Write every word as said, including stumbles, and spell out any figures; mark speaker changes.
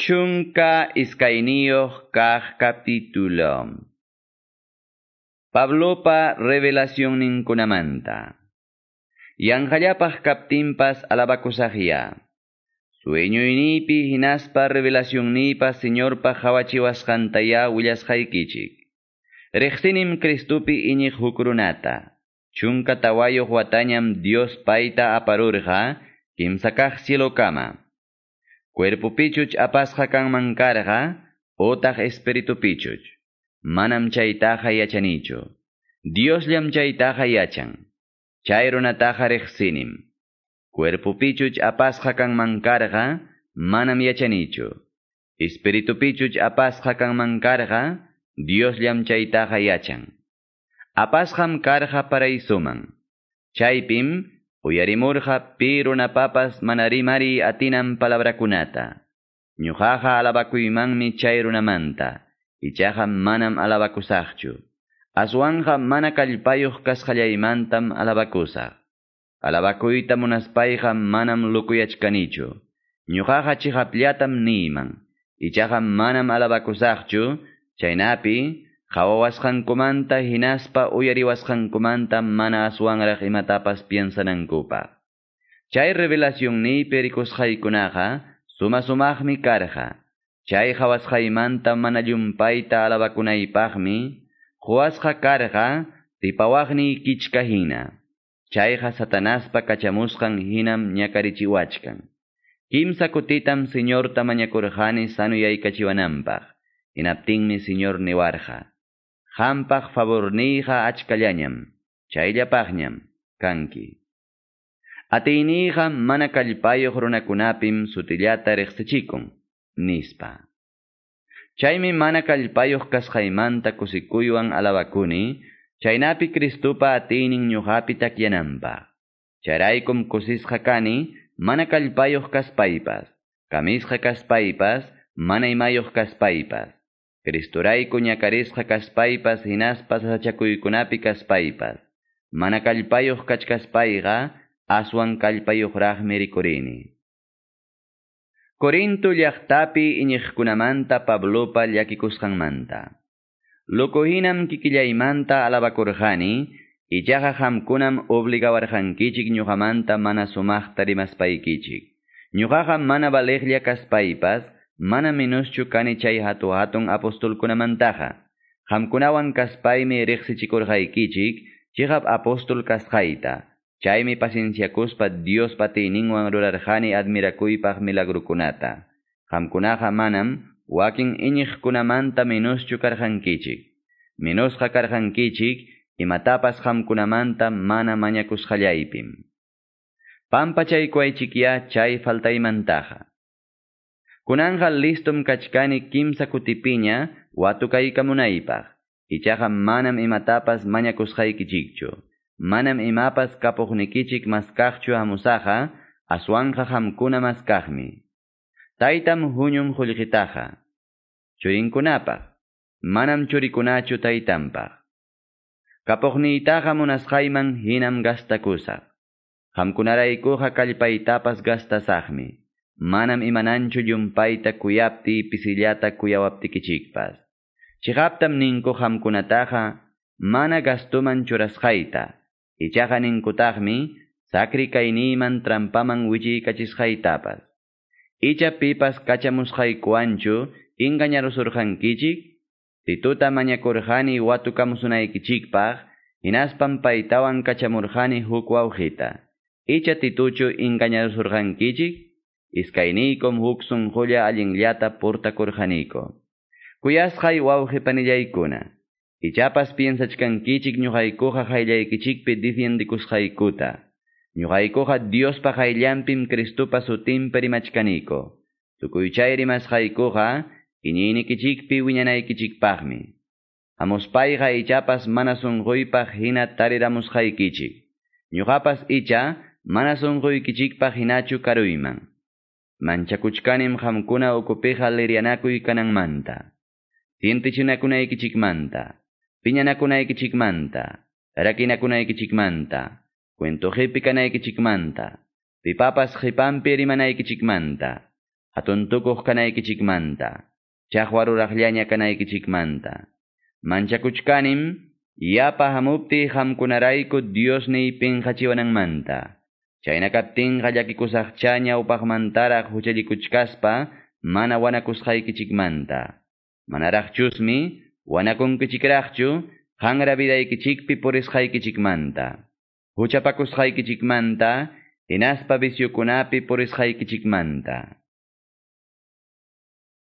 Speaker 1: Chunka iskayniyuq kaq capítulo. Pablopa revelacionninkunamanta. Yanqallapaq kaptinpas alabakusaqya. Sueñoynipi hinaspa revelacionniypa Señorpa qawachiwasqantaya willasqaykichik. Riqsinim Cristupi iñiq huk runata. Chunka tawayuq watañam Dios payta aparurqa kimsa kaq cielokama. Cuerpopichuch apasqa kanman karqa otaq espiritupichuch. Manam chaytaqa yachanichu. Diosllam chaytaqa yachan. Chay runataqa riqsinim. Cuerpopichuch apasqa kanman karqa manam yachanichu. Espiritupichuch apasqa kanman karqa Diosllam chaytaqa yachan. Apasqam karqa paraisuman. Chaypim uyarimurqa pi runapapas mana rimari atinan palabrakunata. Ñuqaqa alabakuymanmi chay runamanta. Ichaqa manam alabakusaqchu. Aswanqa mana kallpayuq kasqallaymantam alabakusaq. Alabakuyta munaspayqa manam lukuyachkanichu. Ñuqaqa chiqapllatam niyman. Ichaqa manam alabakusaqchu, chaynapi qhawawasqankumanta hinaspa uyariwasqankumanta mana aswanraq imatapas piensanankupaq. Chay revelacionniypi rikusqaykunaqa suma sumaqmi karqa. Chay qhawasqaymanta mana llumpayta alabakunaypaqmi quwasqa karqa tipawaqniy kichka hina. Chayqa Satanaspa kachamusqan hinam ñakarichiwachkan. Kimsa kutitam Señorta mañakurqani sanuyaykachiwananpaq. Hinaptinmi Señor niwarqa. Qampaq favorniyqa achkallañam, chayllapaqñam kanki. Atiyniyqa mana kallpayuq runakunapim sutillata riqsichikun, nispa. Chaymi mana kallpayuq kasqaymanta kusikuywan alabakuni, chaynapi Cristupa atiynin ñuqapi takyananpaq. Chayraykum kusisqa kani, mana kallpayuq kaspaypas, kamisqa kaspaypas, mana imayuq kaspaypas. Cristurayku ñakarisqa kaspaypas hinaspa sasachakuykunapi kaspaypas. Mana kallpayuq kachkaspayqa aswan kallpayuqraqmi rikurini. Corinto llaqtapi iñiqkunamanta Pablopa llakikusqanmanta. Loco hinam kikillaymanta alabakurqani, ichaqa qamkunam obligawarqankichik ñuqamanta mana sumaqta rimaspaykichik. Ñuqaqa mana valeqlla kaspaypas, mana menoschu kani chay hatu hatun apostolkunamantaqa. Qamkunawan kaspaymi riqsichikurqaykichik, chiqap apostol kasqayta. Chaymi pacienciakuspa Diospa atiyninwan rurarqani admirakuypaq milagrukunata. Qamkunaqa manam wakin iñiqkunamanta menoschu karqankichik. Menosqa karqankichik imatapas qamkunamanta mana mañakusqallaypim. Pampachaykuwaychikya chay faltaymantaqa. Kunanqa listom kachkani kimsa kutipiña watukaykamunaypaq. Ichaqa manam imatapas mañakusqaykichikchu. Manam imapas kapuqnikichik maskaqchu hamusaqa, aswanqa qamkuna maskaqmi. Taytam huñun qullqitaqa. Churinkunapaq, manam churikunachu taytanpaq. Kapuqniytaqa munasqayman hinam gastakusaq. Qamkunaraykuqa kallpaytapas gastasaqmi. Manam imananchu llumpayta kuyaptiy pisillata kuyawaptikichikpas. Chiqaptam ninku qamkunataqa mana gastuman churasqayta. Ichaqa ninkutaqmi sakri kayniyman trampaman wichiykachisqaytapas. Icha pipas kachamusqaykuwanchu engañarusurqankichik, Tituta mañakurqani watukamusunaykichikpaq, hinaspam paytawan kachamurqani huk wawqita. Icha Tituchu engañarusurqankichik, iskayniykum huk sunqulla allinllata portakurqaniku. Kuyasqay wawqi panillaykuna, ichapas piensachkankichik ñuqaykuqa qayllaykichikpi defiendikusqaykuta. Ñuqaykuqa Diospa qayllanpim Cristupa sutinpi rimachkaniku. Tukuy chay rimasqaykuqa iñiynikichikpi wiñanaykichikpaqmi. Hamuspayqa ichapas mana sunquypaq hina tariramusqaykichik. Ñuqapas icha mana sunquykichikpaq hinachu karuyman. Manchakuchkanim qamkuna ukupiqa lirianakuy kananmanta. Sientichinakunaykichikmanta, piñanakunaykichikmanta, rakinakunaykichikmanta, cuentoqipi kanaykichikmanta, pipapas qipanpi rimanaykichikmanta. Hatuntukuq kanaykichikmanta, chaqwa ruraqllaña kanaykichikmanta. Manchakuchkanim yapa hamuptiy qamkunarayku Diosniy pinqachiwananmanta. Chayna kaptinqa llakikusaqcha ñawpaqmantaraq huchallikuchkaspa mana wanakusqaykichikmanta. Manaraqchusmi wanakunkichikraqchu qanra vidaykichikpi purisqaykichikmanta. Huchapakusqaykichikmanta hinaspa viciokunapi purisqaykichikmanta.